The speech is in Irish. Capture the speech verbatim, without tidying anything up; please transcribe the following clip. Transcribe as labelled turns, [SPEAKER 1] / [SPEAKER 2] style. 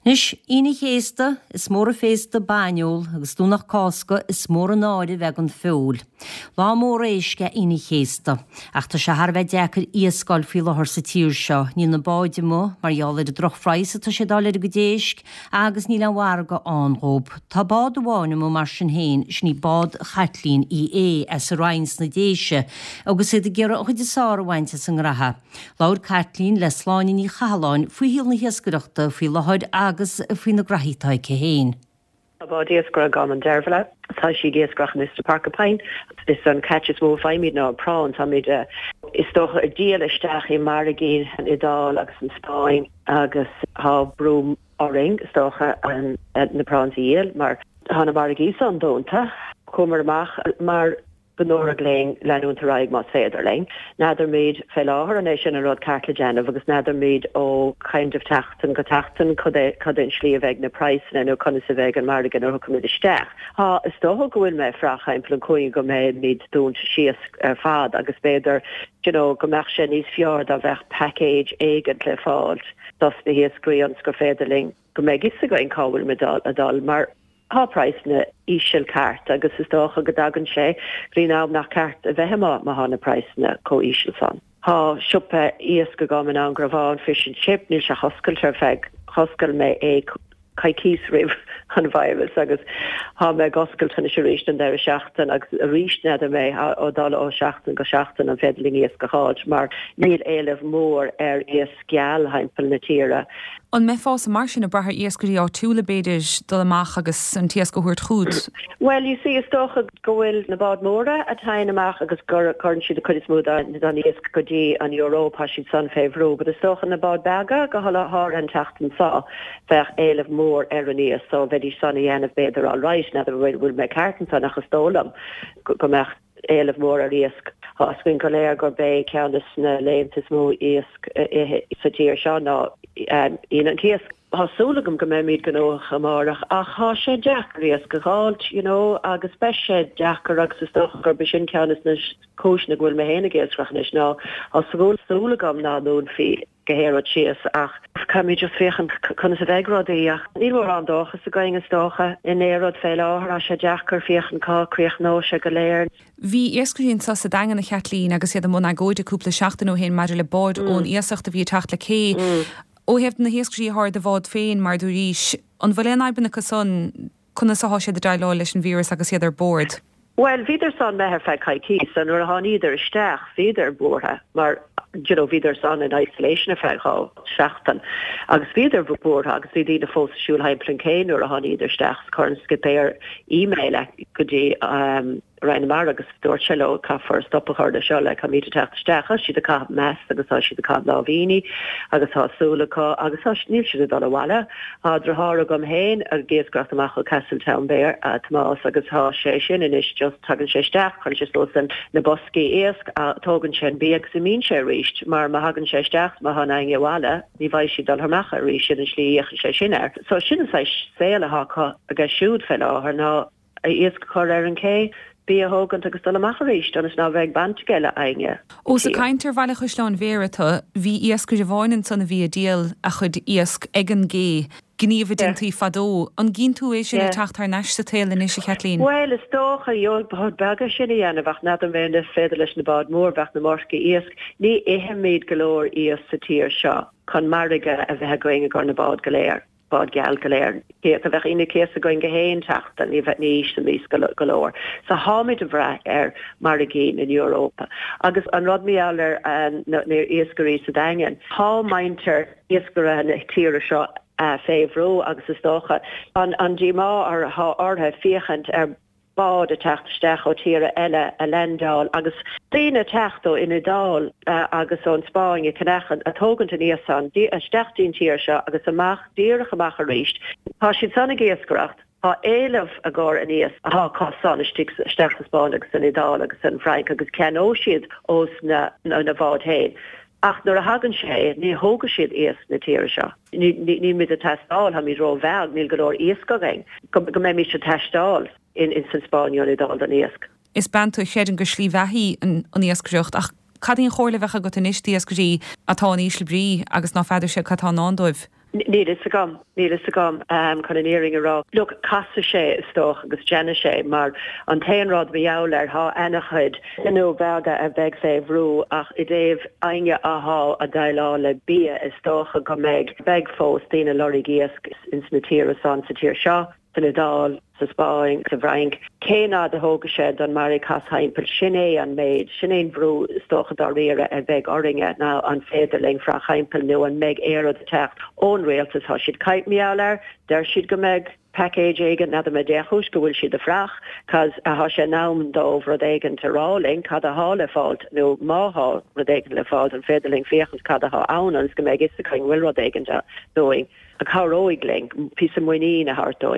[SPEAKER 1] Anois, Aoine an Chéasta, is mór an féasta bainneol, agus Domhnach Cásca, is mór an náire bheith gan feoil. Lá mór éisc é Aoine an Chéasta. Ach tá sé thar a bheith deacair iasc a fháil faoi láthair sa tír seo. Níl na báid amuigh mar gheall ar an drochphraghas atá siad a fháil ar a gcuid éisc agus níl aon mhargadh ann dhób. Tá bád amháin amuigh mar sin féin, sin í bád Chaitlín Uí Aodha as an Rinn sna Déise agus iad ag iarraidh an chuid is fearr a bhaint as an ngraithe. Labhair Caitlín le Sláine Ní Chathalláin faoi shaol na hiascaireachta faoi láthair agus faoi na graithí atá aici féin.
[SPEAKER 2] Tá bád iascaire agam, an Deirbhile. Tá sí ag iascaireacht anois sa Porcupine. Is an catch is mó a faighimid ná prawn. Táimid is dócha ag díol isteach i margaí an Iodáil agus an Spáinn agus tá brú orainn is dócha na prawns a dhíol mar tá na margaí san dúnta. Chuamar amach mar go ndúradh linn leanúint ar aghaidh más féidir linn. N'fheadar fé láthair an é sin an rud ceart le déanamh agus n'fheadar ó kind of tseachtain go tseachtain cad é cad é an slí a bheidh na praghsanna nó conas a bheidh an margadh nuair a thiocfaimid isteach. Tá is dócha go bhfuil mé ag brath timpeall an chúinne go mbeimid dúnta síos ar fad agus b'fhéidir you know, go mbeadh sé níos fearr dá bheadh package éigin le fáil dos na hiascairí ionas gur féidir linn go mbeidh fhios againn cá bhfuil muid ag dul mar Tá praghsanna íseal ceart agus is dócha go dtagann sé go dtí an am nach ceart a bheith amuigh má tá na praghsanna chomh íseal san. Tá siopa iasc agam in Ann Fish and Chip, níl sé oscailte ar feadh oscail mé é coicís roimh an virus agus tá mé ag oscailt anois arís an deireadh seachtain agus arís n'fheadar mé ó dul ó seachtain go seachtain an féidir linn iasc a fháil mar níl éileamh mór ar iasc geal thimpeall na tíre.
[SPEAKER 3] An mbeifeása mar sin ag brath ar iascairí áitiúla b'fhéidir dul amach agus an t-iasc a thabhairt chugat?
[SPEAKER 2] Well you see is dócha go bhfuil na báid móra a théann amach agus gur cuireann siad an chuid is mó den iasc go dtí an Eoraip tá siad san fé bhrú, but is dócha na báid beaga go háirithe an tseachtain seo bheadh éileamh mór ar an iasc so bheidís san a dhéanamh b'fhéidir all right n'fheadar bhfuil mé ceart ansan ach is dóigh liom go mbeadh éileamh mór ar iasc. Tá a fhios againn go léir gurb é ceann de na laethanta is mó iasc sa tír seo ná Aoine an Chéasta. Tá súil agam go mbeimid gnóthach amárach ach tá sé deacair iasc a fháilt, you know, agus beidh sé deacair agus is dócha gurb é sin ceann de na cúiseanna go bhfuil mé féin ag iascaireacht anois ná tá súil súil agam ná dúnfaí go haon síos ach caithfimid just féachaint conas a bheidh rudaí ach níl mórán dóchas againn is dócha in aon rud fé láthair tá sé deacair féachaint cá críochnóidh sé go léir.
[SPEAKER 3] Bhí iascairí anseo sa Daingean a Chaitlín agus iad i mbun agóide cúpla seachtain ó shin maidir le báid mm. ón iasacht a bhí ag teacht le cé. Mm. Ó thaobh na hiascairí ar do bhád féin mar dúraís, an bhfuil aon fhadhbanna acu san conas atá siad ag déileáil leis an víreas agus iad ar bord.
[SPEAKER 2] Well, bhíodar san imithe ar feadh coicíse nuair a tháinidar isteach bhíodar buartha mar you know, bhíodar san in isolation ar feadh dhá seachtain agus bhíodar buartha agus bhí daoine fós ag siúl thimpeall an cé nuair a tháinidar isteach chuir an skipper email go dtí um, Roinn na Mara agus dúirt sé leo caithfear stop a chur le seo le caithfimid teacht isteach siad ag caitheamh masc agus tá siad ag caitheamh lámhainní agus tá súil acu agus tá níl siad ag dul abhaile. Tá deartháir agam féin ag iascaireacht amach ó Castletownbere Tomás agus tá sé sin anois just tagann sé isteach chuireann sé suas an na boscaí iasc tógann sé an bia agus imíonn sé arís mar má thagann sé isteach má tá éinne abhaile ní bheidh siad dul amach arís sin an slí a sé sin air. So sin an saol atá aige siúd fé láthair ná iasc chur ar an cé bia a thógaint agus dul amach arís agus ná bheith baint aige le éinne.
[SPEAKER 3] Ós ag caint ar Bhaile Chaisleáin Bhéarra tá bhí iascaire amháin ansan a bhí ag díol a chuid iasc ag an gcé. Gníomh a déantaí fadó an gcíonn tú é sin ag teacht thar n-ais sa tsaol anois a Chaitlín.
[SPEAKER 2] Well is dócha gheobhaidh báid beaga sin a dhéanamh ach n'fheadar mé an féidir leis na báid mór bheadh na marcaí iasc. Ní ithimid go leor iasc sa tír seo chun margadh a bheith againn i gcomhair na bád go léir. Bád geal go léir. Dá mbeadh Aoine an Chéasta againn gach aon tseachtain ní bheith ní íosfaimís go leor. So táimid ag brath ar margaí na Europa. Agus an rud mar gheall ar na iascairí sa Daingean. Tá muintir iascaire na tíre seo fé bhrú agus is dócha an an díomá atá orthu féachaint ar bád ag teacht isteach ó tíortha eile a landáil agus daoine ag teacht ó an Iodáil agus ón Spáinn ag ceannach ag tógaint an iasc san isteach dtí'n tír seo agus amach díreach amach arís. Tá siad san ag iascaireacht, tá éileamh i gcomhair an iasc atá acu san istigh isteach sa Spáinn agus san Iodáil agus san Fhrainc agus ceannóidh siad ós na na bháid féin. Ach nuair a thagann sé, ní thógfaidh siad iasc na tíre seo. Níl muid ag teastáil, táimid róbheag, níl go leor iasc againn go mbeimid ag teastáil in san Spáinn nó an Iodáil don iasc.
[SPEAKER 3] Is bean tú a chreideann gur slí bheatha í an iascaireacht ach cad í an chomhairle a bheadh agat anois d'iascairí atá in ísle brí agus ná feadar siad cad tá i ndán dóibh?
[SPEAKER 2] Níl fhios agam, níl fhios agam chun an fhírinne a rá. Look, casfaidh sé is dócha agus déanfaidh sé mar an t-aon rud mar gheall air thá ana-chuid gnó beaga a bheidh fé bhrú ach i dtaobh éinne athá a' déileáil le bia is dócha go mbeidh, beidh fós daoine ag lorg iasc ins na tíortha san, sa tír seo, san Iodáil, sa Spáinn, sa bhFrainc. Cén fhad a thógfaidh sé don margadh casadh thimpeall? Sin é an méid, sin é an brú is dócha dáiríre a bheidh orainne ná an féidir linn fuireach thimpeall nó an mbeidh aon rud ag teacht ón rialtas. Tá siad ag caint mar gheall air, deir siad go mbeidh package éigin, n'fheadar mé dé chúis go bhfuil siad ag fuireach, cos thá sé in am dóibh rud éigin a rá linn cad athá le fáilt nó má thá rud éigin le fáilt an féidir linn féachaint cad athá ann ionas go mbeidh fhios againn bhfuil rud éigin dúinn a chabhróidh linn píosa muinín a thabhairt dúinn.